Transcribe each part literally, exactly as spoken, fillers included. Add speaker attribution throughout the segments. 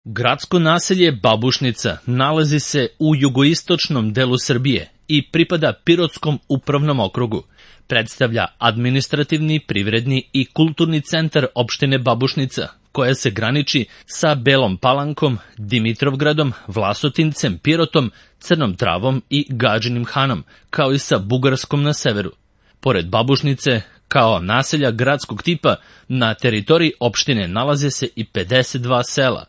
Speaker 1: Gradsko naselje Babušnica nalazi se u jugoistočnom delu Srbije i pripada Pirotskom upravnom okrugu. Predstavlja administrativni, privredni i kulturni centar opštine Babušnica, koja se graniči sa Belom Palankom, Dimitrovgradom, Vlasotincem, Pirotom, Crnom Travom i Gadžinim Hanom, kao i sa Bugarskom na severu. Pored Babušnice, kao naselja gradskog tipa, na teritoriji opštine nalaze se i pedeset dva sela.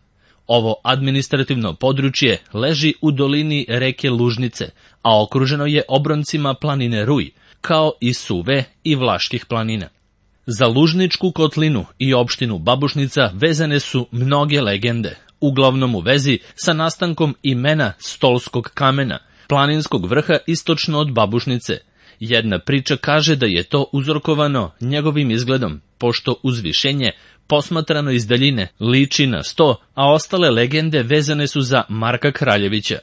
Speaker 1: Ovo administrativno područje leži u dolini reke Lužnice, a okruženo je obroncima planine Ruj, kao i Suve i Vlaških planina. Za Lužničku kotlinu i opštinu Babušnica vezane su mnoge legende, uglavnom u vezi sa nastankom imena Stolskog kamena, planinskog vrha istočno od Babušnice. Jedna priča kaže da je to uzrokovano njegovim izgledom, pošto uzvišenje posmatrano iz daljine liči na sto, a ostale legende vezane su za Marka Kraljevića.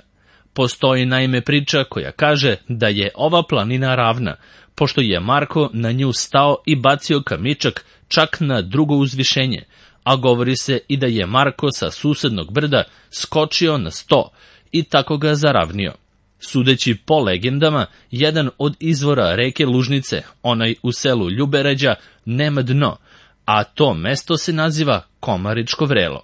Speaker 1: Postoji naime priča koja kaže da je ova planina ravna, pošto je Marko na nju stao i bacio kamičak čak na drugo uzvišenje, a govori se i da je Marko sa susednog brda skočio na sto i tako ga zaravnio. Sudeći po legendama, jedan od izvora reke Lužnice, onaj u selu Ljubeređa, nema dno, a to mesto se naziva Komaričko vrelo.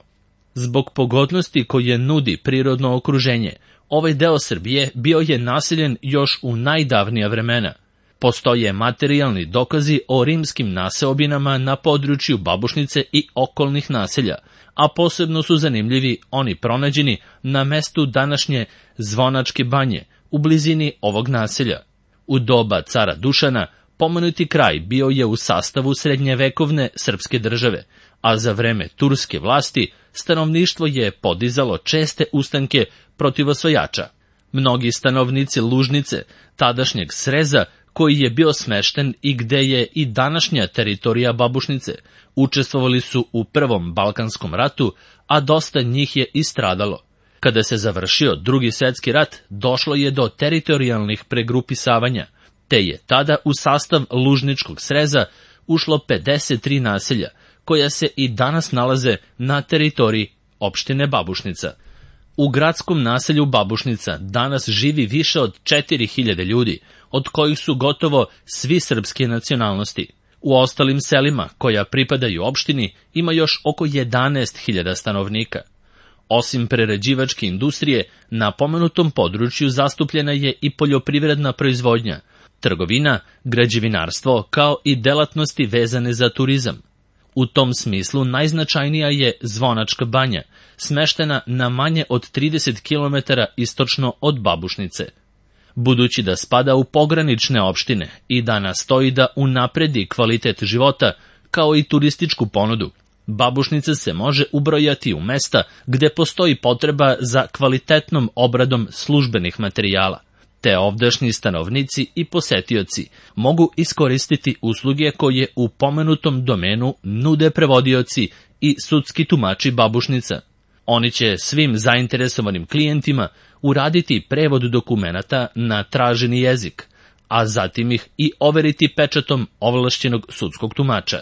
Speaker 1: Zbog pogodnosti koje nudi prirodno okruženje, ovaj deo Srbije bio je naseljen još u najdavnija vremena. Postoje materijalni dokazi o rimskim naseobinama na području Babušnice i okolnih naselja, a posebno su zanimljivi oni pronađeni na mestu današnje Zvonačke banje, u blizini ovog naselja. U doba cara Dušana pomenuti kraj bio je u sastavu srednjevekovne srpske države, a za vreme turske vlasti stanovništvo je podizalo česte ustanke protiv osvajača. Mnogi stanovnici Lužnice, tadašnjeg Sreza, koji je bio smešten i gde je i današnja teritorija Babušnice, učestvovali su u Prvom Balkanskom ratu, a dosta njih je i stradalo. Kada se završio Drugi svjetski rat, došlo je do teritorijalnih pregrupisavanja, te je tada u sastav Lužničkog Sreza ušlo pedeset tri naselja, koja se i danas nalaze na teritoriji opštine Babušnica. U gradskom naselju Babušnica danas živi više od četiri hiljade ljudi, od kojih su gotovo svi srpske nacionalnosti. U ostalim selima, koja pripadaju opštini, ima još oko jedanaest hiljada stanovnika. Osim prerađivačke industrije, na pomenutom području zastupljena je i poljoprivredna proizvodnja, trgovina, građevinarstvo, kao i delatnosti vezane za turizam. U tom smislu najznačajnija je Zvonačka banja, smeštena na manje od trideset kilometara istočno od Babušnice. Budući da spada u pogranične opštine i da nastoji da unapredi kvalitet života, kao i turističku ponudu, Babušnica se može ubrojati u mesta gde postoji potreba za kvalitetnom obradom službenih materijala, te ovdašnji stanovnici i posetioci mogu iskoristiti usluge koje u pomenutom domenu nude prevodioci i sudski tumači Babušnica. Oni će svim zainteresovanim klijentima uraditi prevod dokumenata na traženi jezik, a zatim ih i overiti pečatom ovlašćenog sudskog tumača.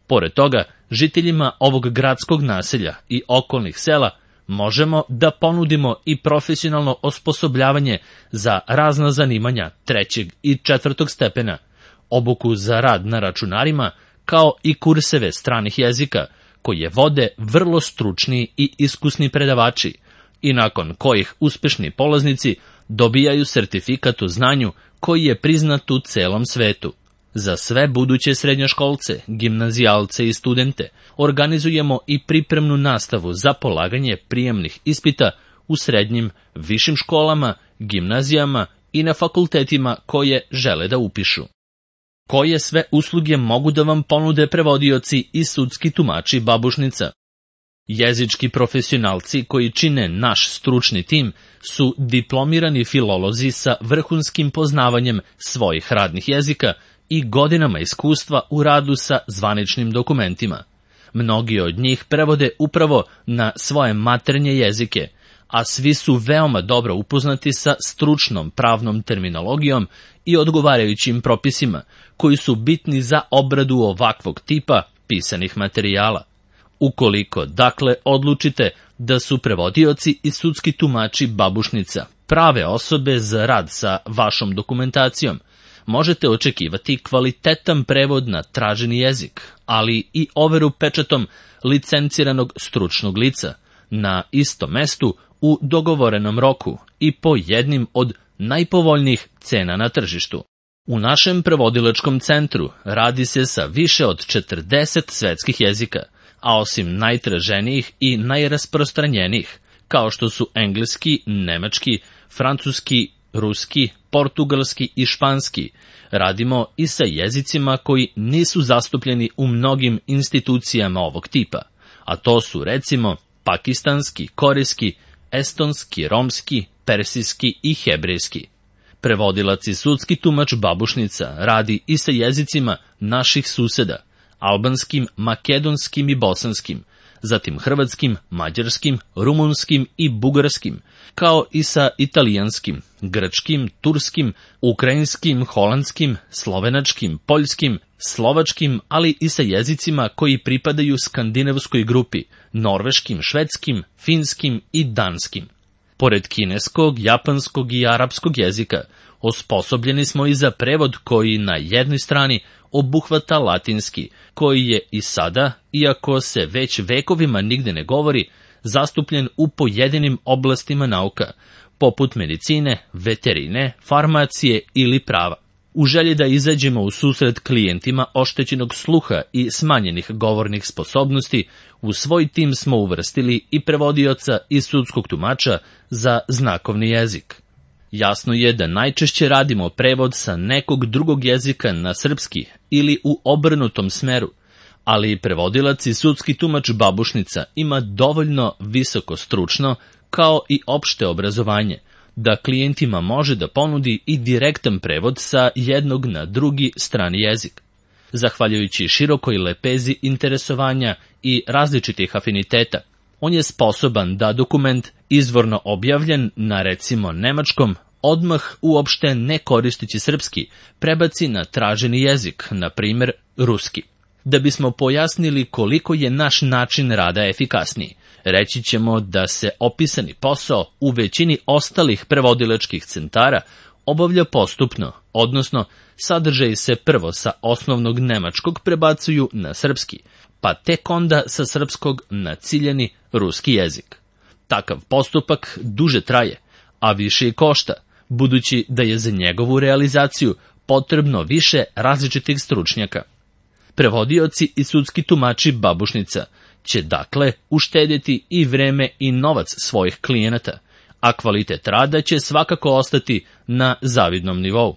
Speaker 1: Pored toga, žiteljima ovog gradskog naselja i okolnih sela možemo da ponudimo i profesionalno osposobljavanje za razna zanimanja trećeg i četvrtog stepena, obuku za rad na računarima, kao i kurseve stranih jezika, koje vode vrlo stručni i iskusni predavači, i nakon kojih uspešni polaznici dobijaju sertifikat o znanju koji je priznat u celom svetu. Za sve buduće srednjoškolce, gimnazijalce i studente organizujemo i pripremnu nastavu za polaganje prijemnih ispita u srednjim, višim školama, gimnazijama i na fakultetima koje žele da upišu. Koje sve usluge mogu da vam ponude prevodioci i sudski tumači Babušnica? Jezički profesionalci koji čine naš stručni tim su diplomirani filolozi sa vrhunskim poznavanjem svojih radnih jezika i godinama iskustva u radu sa zvaničnim dokumentima. Mnogi od njih prevode upravo na svoje maternje jezike, a svi su veoma dobro upoznati sa stručnom pravnom terminologijom i odgovarajućim propisima, koji su bitni za obradu ovakvog tipa pisanih materijala. Ukoliko, dakle, odlučite da su prevodioci i sudski tumači Babušnica prave osobe za rad sa vašom dokumentacijom. Možete očekivati kvalitetan prevod na traženi jezik, ali i overu pečatom licenciranog stručnog lica na istom mestu u dogovorenom roku i po jednim od najpovoljnijih cena na tržištu. U našem prevodilačkom centru radi se sa više od četrdeset svetskih jezika, a osim najtraženijih i najrasprostranjenijih, kao što su engleski, nemački, francuski, ruski, portugalski i španski, radimo i sa jezicima koji nisu zastupljeni u mnogim institucijama ovog tipa, a to su recimo pakistanski, korejski, estonski, romski, persijski i hebrejski. Prevodilac i sudski tumač Babušnica radi i sa jezicima naših suseda, albanskim, makedonskim i bosanskim, zatim hrvatskim, mađarskim, rumunskim i bugarskim, kao i sa italijanskim, grčkim, turskim, ukrajinskim, holandskim, slovenačkim, poljskim, slovačkim, ali i sa jezicima koji pripadaju skandinavskoj grupi, norveškim, švedskim, finskim i danskim. Pored kineskog, japanskog i arapskog jezika, osposobljeni smo i za prevod koji na jednoj strani obuhvata latinski, koji je i sada, iako se već vekovima nigde ne govori, zastupljen u pojedinim oblastima nauka, poput medicine, veterine, farmacije ili prava. U želji da izađemo u susret klijentima oštećenog sluha i smanjenih govornih sposobnosti, u svoj tim smo uvrstili i prevodioca i sudskog tumača za znakovni jezik. Jasno je da najčešće radimo prevod sa nekog drugog jezika na srpski ili u obrnutom smeru, ali prevodilac i sudski tumač Babušnica ima dovoljno visoko stručno kao i opšte obrazovanje, da klijentima može da ponudi i direktan prevod sa jednog na drugi strani jezik. Zahvaljujući širokoj lepezi interesovanja i različitih afiniteta, on je sposoban da dokument izvorno objavljen na recimo nemačkom odmah uopšte ne koristeći srpski prebaci na traženi jezik, na primjer ruski. Da bismo pojasnili koliko je naš način rada efikasniji, reći ćemo da se opisani posao u većini ostalih prevodilačkih centara obavlja postupno, odnosno sadržaji se prvo sa osnovnog nemačkog prebacuju na srpski, pa tek onda sa srpskog na ciljani ruski jezik. Takav postupak duže traje, a više i košta, budući da je za njegovu realizaciju potrebno više različitih stručnjaka. Prevodioci i sudski tumači Babušnica će dakle uštedjeti i vreme i novac svojih klijenata, a kvalitet rada će svakako ostati na zavidnom nivou.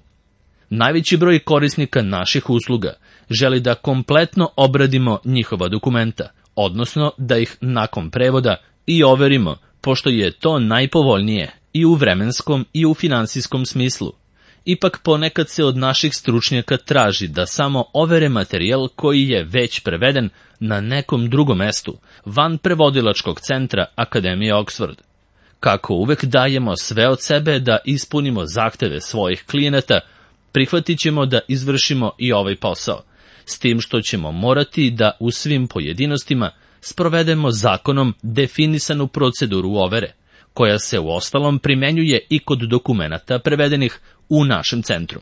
Speaker 1: Najveći broj korisnika naših usluga želi da kompletno obradimo njihova dokumenta, odnosno da ih nakon prevoda i overimo, pošto je to najpovoljnije i u vremenskom i u finansijskom smislu. Ipak ponekad se od naših stručnjaka traži da samo overe materijal koji je već preveden na nekom drugom mestu, van prevodilačkog centra Akademije Oxford. Kako uvek dajemo sve od sebe da ispunimo zahteve svojih klijenata, prihvatit ćemo da izvršimo i ovaj posao, s tim što ćemo morati da u svim pojedinostima sprovedemo zakonom definisanu proceduru overe, koja se uostalom primenjuje i kod dokumenata prevedenih u našem centru.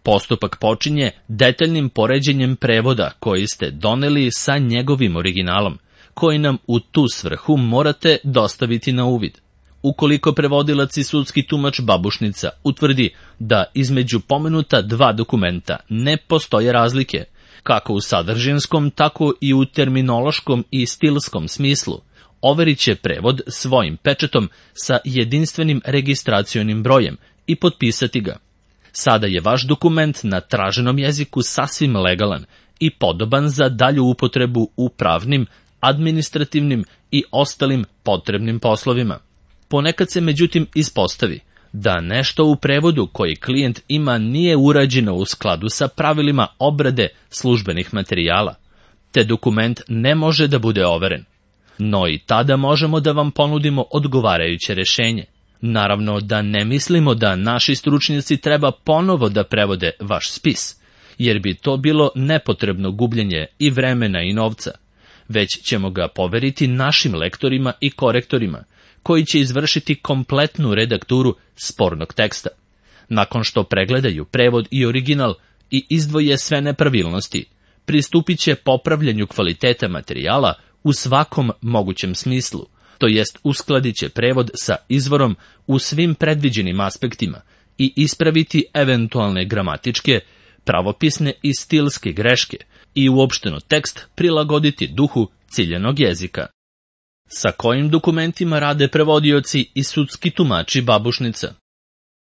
Speaker 1: Postupak počinje detaljnim poređenjem prevoda koji ste doneli sa njegovim originalom, koji nam u tu svrhu morate dostaviti na uvid. Ukoliko prevodilac i sudski tumač Babušnica utvrdi da između pomenuta dva dokumenta ne postoje razlike, kako u sadržinskom, tako i u terminološkom i stilskom smislu, overit će prevod svojim pečatom sa jedinstvenim registracionim brojem i potpisati ga. Sada je vaš dokument na traženom jeziku sasvim legalan i podoban za dalju upotrebu u pravnim, administrativnim i ostalim potrebnim poslovima. Ponekad se međutim ispostavi da nešto u prevodu koji klijent ima nije urađeno u skladu sa pravilima obrade službenih materijala, te dokument ne može da bude overen. No i tada možemo da vam ponudimo odgovarajuće rešenje. Naravno da ne mislimo da naši stručnjaci treba ponovo da prevode vaš spis, jer bi to bilo nepotrebno gubljenje i vremena i novca, već ćemo ga poveriti našim lektorima i korektorima, koji će izvršiti kompletnu redakturu spornog teksta. Nakon što pregledaju prevod i original i izdvoje sve nepravilnosti, pristupit će popravljanju kvaliteta materijala u svakom mogućem smislu, to jest uskladit će prevod sa izvorom u svim predviđenim aspektima i ispraviti eventualne gramatičke, pravopisne i stilske greške i uopšteno tekst prilagoditi duhu ciljanog jezika. Sa kojim dokumentima rade prevodioci i sudski tumači babušnica?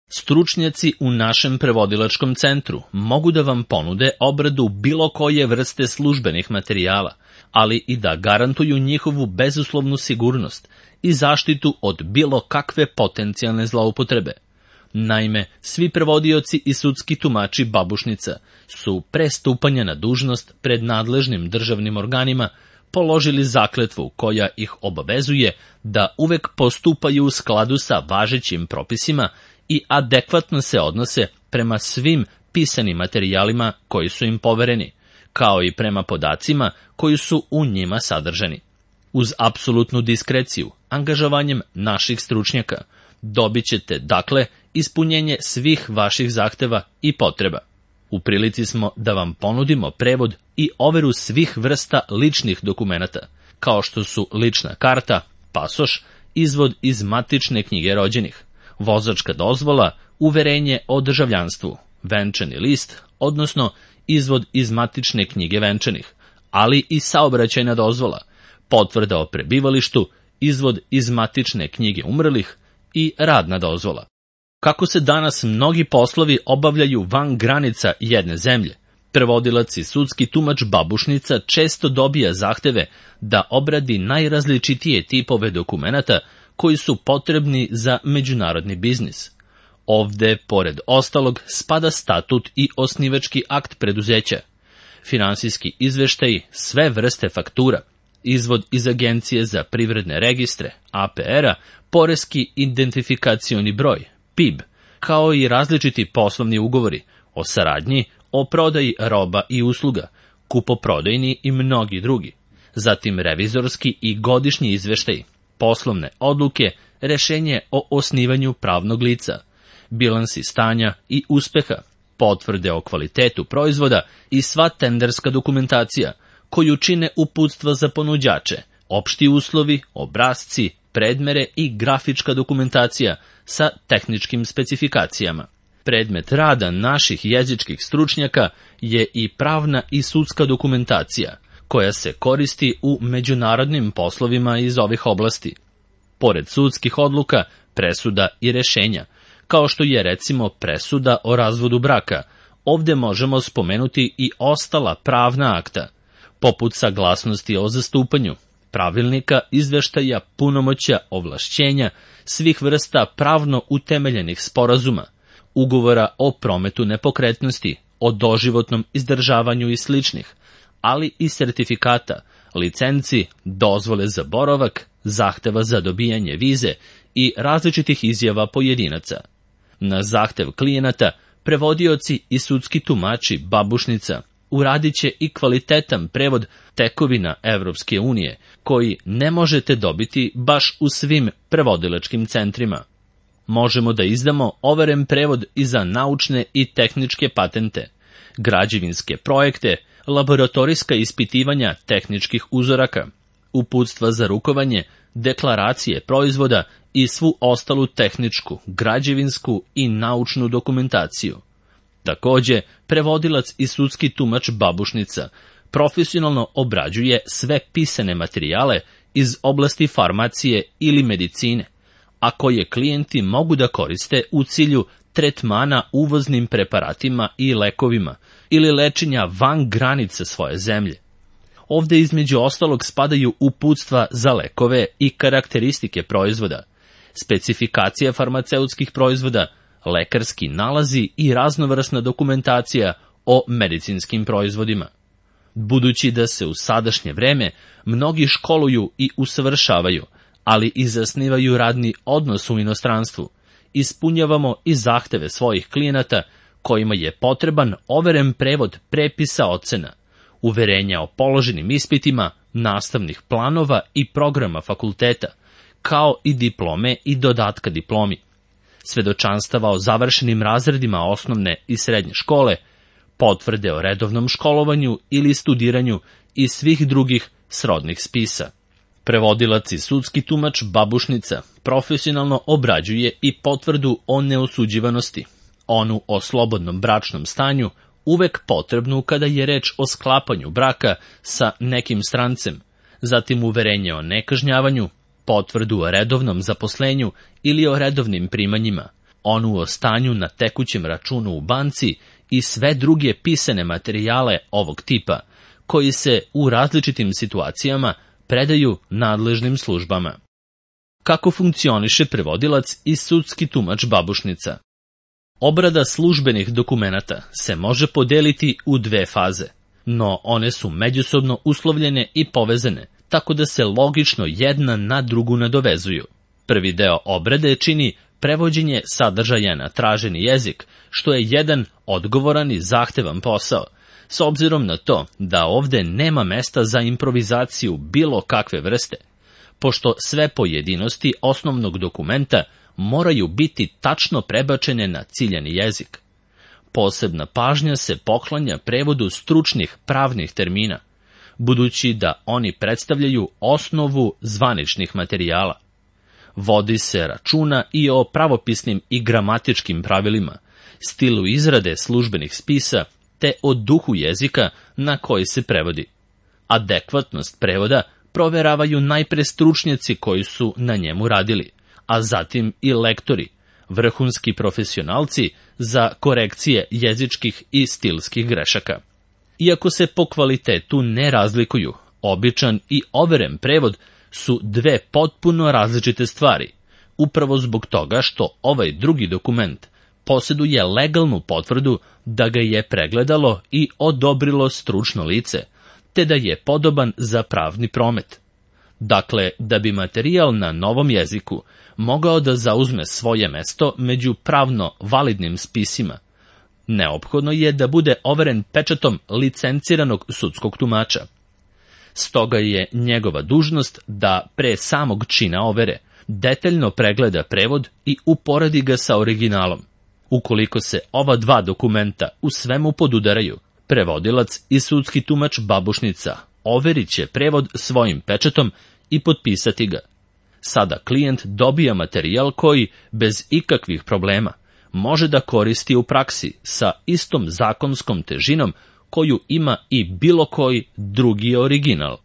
Speaker 1: Stručnjaci u našem prevodilačkom centru mogu da vam ponude obradu bilo koje vrste službenih materijala, ali i da garantuju njihovu bezuslovnu sigurnost i zaštitu od bilo kakve potencijalne zloupotrebe. Naime, svi prevodioci i sudski tumači babušnica su pre stupanja na dužnost pred nadležnim državnim organima položili zakletvu koja ih obavezuje da uvek postupaju u skladu sa važećim propisima i adekvatno se odnose prema svim pisanim materijalima koji su im povereni, kao i prema podacima koji su u njima sadržani. Uz apsolutnu diskreciju, angažovanjem naših stručnjaka, dobit ćete, dakle, ispunjenje svih vaših zahteva i potreba. U prilici smo da vam ponudimo prevod i overu svih vrsta ličnih dokumenata, kao što su lična karta, pasoš, izvod iz matične knjige rođenih, vozačka dozvola, uverenje o državljanstvu, venčani list, odnosno izvod iz matične knjige venčanih, ali i saobraćajna dozvola, potvrda o prebivalištu, izvod iz matične knjige umrlih i radna dozvola. Kako se danas mnogi poslovi obavljaju van granica jedne zemlje, prevodilac i sudski tumač babušnica često dobija zahteve da obradi najrazličitije tipove dokumenata koji su potrebni za međunarodni biznis. Ovde, pored ostalog, spada statut i osnivački akt preduzeća, finansijski izveštaji, sve vrste faktura, izvod iz Agencije za privredne registre, A P R-a, poreski identifikacioni broj, P I B, kao i različiti poslovni ugovori o saradnji, o prodaji roba i usluga, kupoprodajni i mnogi drugi, zatim revizorski i godišnji izveštaji, poslovne odluke, rešenje o osnivanju pravnog lica, bilansi stanja i uspeha, potvrde o kvalitetu proizvoda i sva tenderska dokumentacija, koju čine uputstva za ponuđače, opšti uslovi, obrasci, predmere i grafička dokumentacija sa tehničkim specifikacijama. Predmet rada naših jezičkih stručnjaka je i pravna i sudska dokumentacija, koja se koristi u međunarodnim poslovima iz ovih oblasti. Pored sudskih odluka, presuda i rešenja, kao što je recimo presuda o razvodu braka, ovde možemo spomenuti i ostala pravna akta, poput saglasnosti o zastupanju, pravilnika, izveštaja, punomoćja, ovlašćenja, svih vrsta pravno utemeljenih sporazuma, ugovora o prometu nepokretnosti, o doživotnom izdržavanju i sličnih, ali i sertifikata, licenci, dozvole za boravak, zahteva za dobijanje vize i različitih izjava pojedinaca. Na zahtev klijenata, prevodioci i sudski tumači babušnica uradit će i kvalitetan prevod tekovina Evropske unije, koji ne možete dobiti baš u svim prevodilačkim centrima. Možemo da izdamo overen prevod i za naučne i tehničke patente, građevinske projekte, laboratorijska ispitivanja tehničkih uzoraka, uputstva za rukovanje, deklaracije proizvoda i svu ostalu tehničku, građevinsku i naučnu dokumentaciju. Takođe, prevodilac i sudski tumač babušnica profesionalno obrađuje sve pisane materijale iz oblasti farmacije ili medicine, a koje klijenti mogu da koriste u cilju tretmana uvoznim preparatima i lekovima ili lečenja van granice svoje zemlje. Ovde između ostalog spadaju uputstva za lekove i karakteristike proizvoda, specifikacija farmaceutskih proizvoda, lekarski nalazi i raznovrsna dokumentacija o medicinskim proizvodima. Budući da se u sadašnje vreme mnogi školuju i usavršavaju, ali i zasnivaju radni odnos u inostranstvu, ispunjavamo i zahteve svojih klijenata kojima je potreban overen prevod prepisa ocena, uverenja o položenim ispitima, nastavnih planova i programa fakulteta, kao i diplome i dodatka diplomi, svedočanstava o završenim razredima osnovne i srednje škole, potvrde o redovnom školovanju ili studiranju i svih drugih srodnih spisa. Prevodilac i sudski tumač babušnica profesionalno obrađuje i potvrdu o neosuđivanosti, onu o slobodnom bračnom stanju, uvek potrebnu kada je reč o sklapanju braka sa nekim strancem, zatim uverenje o nekažnjavanju, potvrdu o redovnom zaposlenju ili o redovnim primanjima, onu o stanju na tekućem računu u banci i sve druge pisane materijale ovog tipa, koji se u različitim situacijama predaju nadležnim službama. Kako funkcioniše prevodilac i sudski tumač babušnica? Obrada službenih dokumenata se može podeliti u dve faze, no one su međusobno uslovljene i povezane, tako da se logično jedna na drugu nadovezuju. Prvi deo obrade čini prevođenje sadržaja na traženi jezik, što je jedan odgovoran i zahtevan posao, s obzirom na to da ovde nema mesta za improvizaciju bilo kakve vrste, pošto sve pojedinosti osnovnog dokumenta moraju biti tačno prebačene na ciljani jezik. Posebna pažnja se poklanja prevodu stručnih pravnih termina, budući da oni predstavljaju osnovu zvaničnih materijala. Vodi se računa i o pravopisnim i gramatičkim pravilima, stilu izrade službenih spisa, te o duhu jezika na koji se prevodi. Adekvatnost prevoda proveravaju najpre stručnjaci koji su na njemu radili, a zatim i lektori, vrhunski profesionalci za korekcije jezičkih i stilskih grešaka. Iako se po kvalitetu ne razlikuju, običan i overen prevod su dve potpuno različite stvari, upravo zbog toga što ovaj drugi dokument posjeduje legalnu potvrdu da ga je pregledalo i odobrilo stručno lice, te da je podoban za pravni promet. Dakle, da bi materijal na novom jeziku mogao da zauzme svoje mesto među pravno validnim spisima, neophodno je da bude overen pečatom licenciranog sudskog tumača. Stoga je njegova dužnost da pre samog čina overe detaljno pregleda prevod i uporedi ga sa originalom. Ukoliko se ova dva dokumenta u svemu podudaraju, prevodilac i sudski tumač babušnica overit će prevod svojim pečatom i potpisati ga. Sada klijent dobija materijal koji, bez ikakvih problema, može da koristi u praksi sa istom zakonskom težinom koju ima i bilo koji drugi original.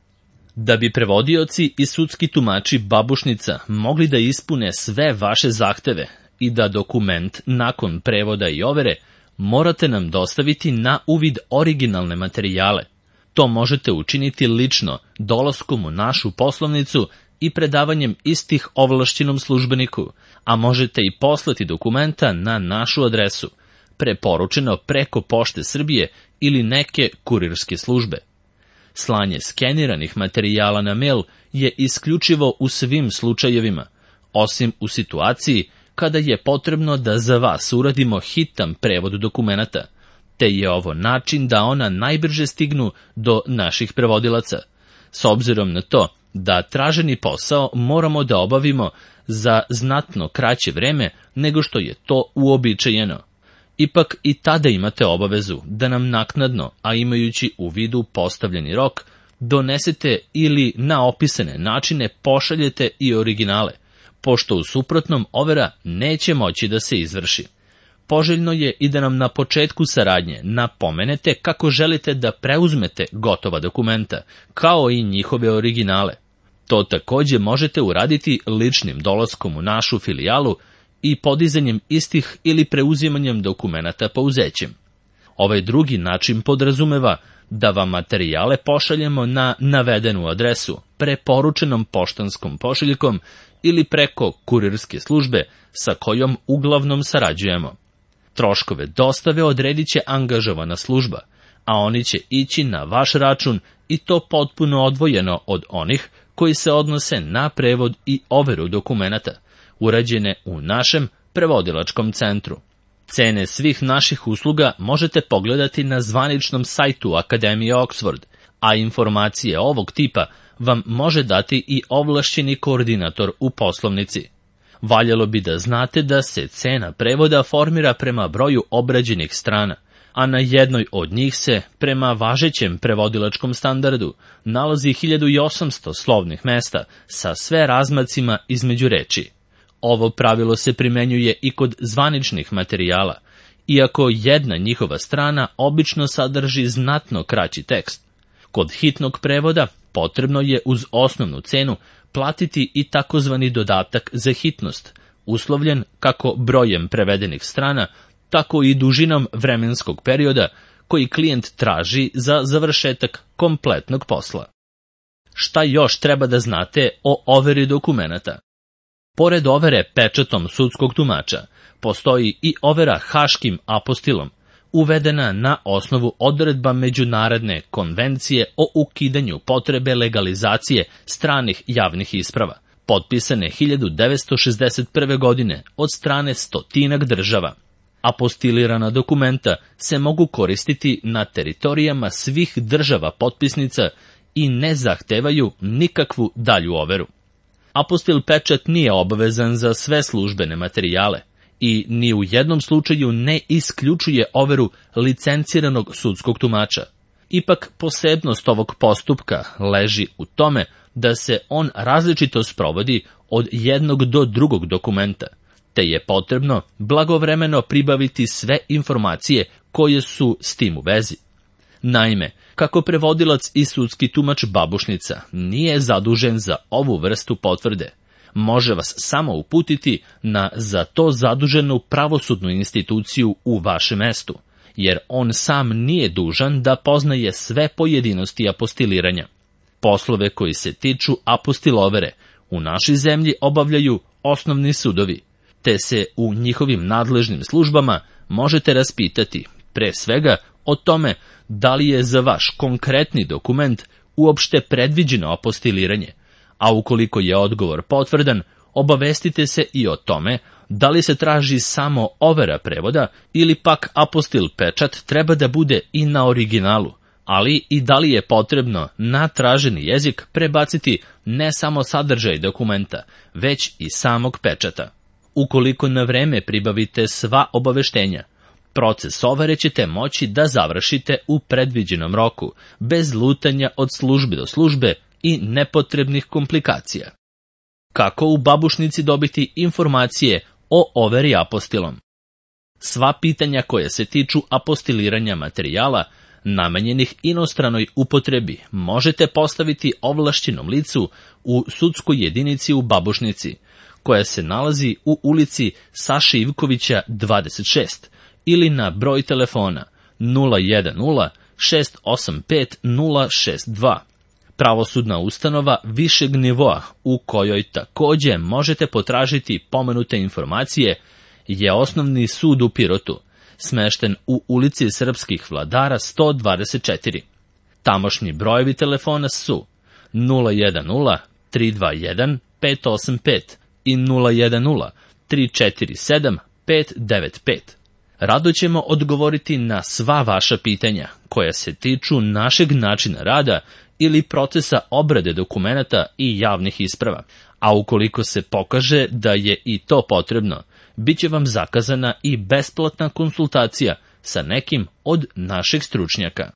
Speaker 1: Da bi prevodioci i sudski tumači babušnica mogli da ispune sve vaše zahteve i da dokument nakon prevoda i overe, morate nam dostaviti na uvid originalne materijale. To možete učiniti lično, dolaskom u našu poslovnicu i predavanjem istih ovlašćenom službeniku, a možete i poslati dokumenta na našu adresu, preporučeno preko Pošte Srbije ili neke kurirske službe. Slanje skeniranih materijala na mail je isključivo u svim slučajevima, osim u situaciji kada je potrebno da za vas uradimo hitan prevod dokumenata, te je ovo način da ona najbrže stignu do naših prevodilaca, s obzirom na to da traženi posao moramo da obavimo za znatno kraće vreme nego što je to uobičajeno. Ipak i tada imate obavezu da nam naknadno, a imajući u vidu postavljeni rok, donesete ili na opisane načine pošaljete i originale, pošto u suprotnom overa neće moći da se izvrši. Poželjno je i da nam na početku saradnje napomenete kako želite da preuzmete gotova dokumenta, kao i njihove originale. To takođe možete uraditi ličnim dolaskom u našu filijalu i podizanjem istih ili preuzimanjem dokumenata pouzećem. Ovaj drugi način podrazumeva da vam materijale pošaljemo na navedenu adresu, preporučenom poštanskom pošiljkom ili preko kurirske službe sa kojom uglavnom sarađujemo. Troškove dostave odredit će angažovana služba, a oni će ići na vaš račun i to potpuno odvojeno od onih koji se odnose na prevod i overu dokumenata, urađene u našem prevodilačkom centru. Cene svih naših usluga možete pogledati na zvaničnom sajtu Akademije Oxford, a informacije ovog tipa vam može dati i ovlašćeni koordinator u poslovnici. Valjalo bi da znate da se cena prevoda formira prema broju obrađenih strana, a na jednoj od njih se, prema važećem prevodilačkom standardu, nalazi hiljadu osamsto slovnih mesta sa sve razmacima između reči. Ovo pravilo se primenjuje i kod zvaničnih materijala, iako jedna njihova strana obično sadrži znatno kraći tekst. Kod hitnog prevoda potrebno je uz osnovnu cenu platiti i takozvani dodatak za hitnost, uslovljen kako brojem prevedenih strana, tako i dužinom vremenskog perioda koji klijent traži za završetak kompletnog posla. Šta još treba da znate o overi dokumenata? Pored overe pečatom sudskog tumača, postoji i overa haškim apostilom, uvedena na osnovu odredba Međunarodne konvencije o ukidanju potrebe legalizacije stranih javnih isprava, potpisane hiljadu devetsto šezdeset prve. godine od strane stotinak država. Apostilirana dokumenta se mogu koristiti na teritorijama svih država potpisnica i ne zahtevaju nikakvu dalju overu. Apostil pečat nije obavezan za sve službene materijale i ni u jednom slučaju ne isključuje overu licenciranog sudskog tumača. Ipak posebnost ovog postupka leži u tome da se on različito sprovodi od jednog do drugog dokumenta, te je potrebno blagovremeno pribaviti sve informacije koje su s tim u vezi. Naime, kako prevodilac i sudski tumač babušnica nije zadužen za ovu vrstu potvrde, može vas samo uputiti na za to zaduženu pravosudnu instituciju u vašem mestu, jer on sam nije dužan da poznaje sve pojedinosti apostiliranja. Poslove koji se tiču apostilovere u našoj zemlji obavljaju osnovni sudovi, te se u njihovim nadležnim službama možete raspitati, pre svega, o tome da li je za vaš konkretni dokument uopšte predviđeno apostiliranje, a ukoliko je odgovor potvrdan, obavestite se i o tome da li se traži samo overa prevoda ili pak apostil pečat treba da bude i na originalu, ali i da li je potrebno na traženi jezik prebaciti ne samo sadržaj dokumenta, već i samog pečata. Ukoliko na vreme pribavite sva obaveštenja, proces overe ćete moći da završite u predviđenom roku, bez lutanja od službe do službe i nepotrebnih komplikacija. Kako u babušnici dobiti informacije o overi apostilom? Sva pitanja koja se tiču apostiliranja materijala namenjenih inostranoj upotrebi možete postaviti ovlašćenom licu u sudskoj jedinici u babušnici, koja se nalazi u ulici Saše Ivkovića dvadeset šest, ili na broj telefona nula jedan nula šest osam pet nula šest dva. Pravosudna ustanova višeg nivoa u kojoj takođe možete potražiti pomenute informacije je Osnovni sud u Pirotu, smešten u ulici Srpskih vladara sto dvadeset četiri. Tamošnji brojevi telefona su nula jedan nula tri dva jedan pet osam pet i nula jedan nula tri četiri sedam pet devet pet. Rado ćemo odgovoriti na sva vaša pitanja koja se tiču našeg načina rada ili procesa obrade dokumenata i javnih isprava, a ukoliko se pokaže da je i to potrebno, bit će vam zakazana i besplatna konsultacija sa nekim od naših stručnjaka.